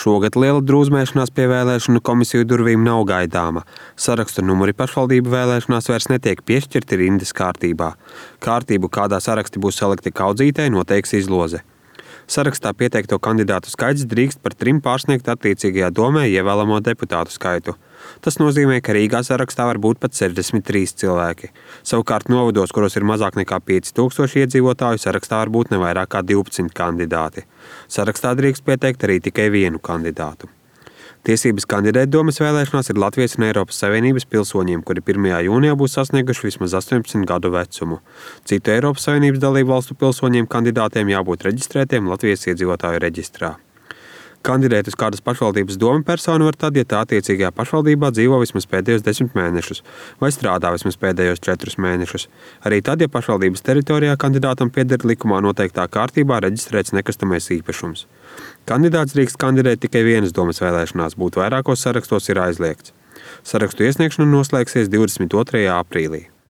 Šogad liela drūzmēšanās pie vēlēšanu komisiju durvīm nav gaidāma. Sarakstu numuri pašvaldību vēlēšanās vairs netiek piešķirti rindas kārtībā. Kārtību, kādā saraksti būs salikti kaudzītē, noteiks izloze. Sarakstā pieteikto kandidātu skaits drīkst par 3 pārsniegt attiecīgajā domē ievēlamo deputātu skaitu. Tas nozīmē, ka Rīgā sarakstā var būt pat 63 cilvēki. Savukārt novados, kuros ir mazāk nekā 5000 iedzīvotāju, sarakstā var būt ne vairāk kā 12 kandidāti. Sarakstā drīkst pieteikt arī tikai vienu kandidātu. Tiesības kandidēt domes vēlēšanās ir Latvijas un Eiropas Savienības pilsoņiem, kuri 1. jūnijā būs sasnieguši vismaz 18 gadu vecumu. Citu Eiropas Savienības dalību valstu pilsoņiem kandidātiem jābūt reģistrētiem Latvijas iedzīvotāju reģistrā. Kandidēt uz kādas pašvaldības domu personu var tad, ja tā attiecīgajā pašvaldībā dzīvo vismaz pēdējos 10 mēnešus vai strādā vismaz pēdējos 4 mēnešus. Arī tad, ja pašvaldības teritorijā kandidātam pieder likumā noteiktā kārtībā reģistrēts nekustamais īpašums. Kandidāts drīkst kandidēt tikai vienas domes vēlēšanās, būt vairākos sarakstos ir aizliegts. Sarakstu iesniegšana noslēgsies 22. aprīlī.